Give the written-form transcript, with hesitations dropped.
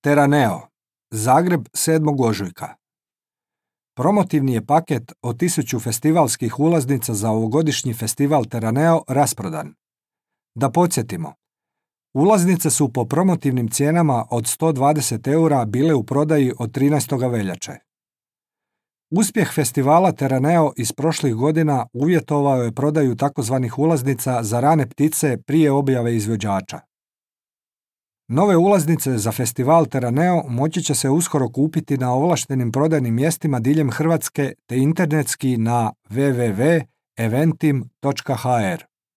Terraneo, Zagreb 7. ožujka. Promotivni je paket od 1000 festivalskih ulaznica za ovogodišnji festival Terraneo rasprodan. Da podsjetimo, ulaznice su po promotivnim cijenama od 120 € bile u prodaji od 13. veljače. Uspjeh festivala Terraneo iz prošlih godina uvjetovao je prodaju takozvanih ulaznica za rane ptice prije objave izvođača. Nove ulaznice za festival Terraneo moći će se uskoro kupiti na ovlaštenim prodajnim mjestima diljem Hrvatske te internetski na www.eventim.hr.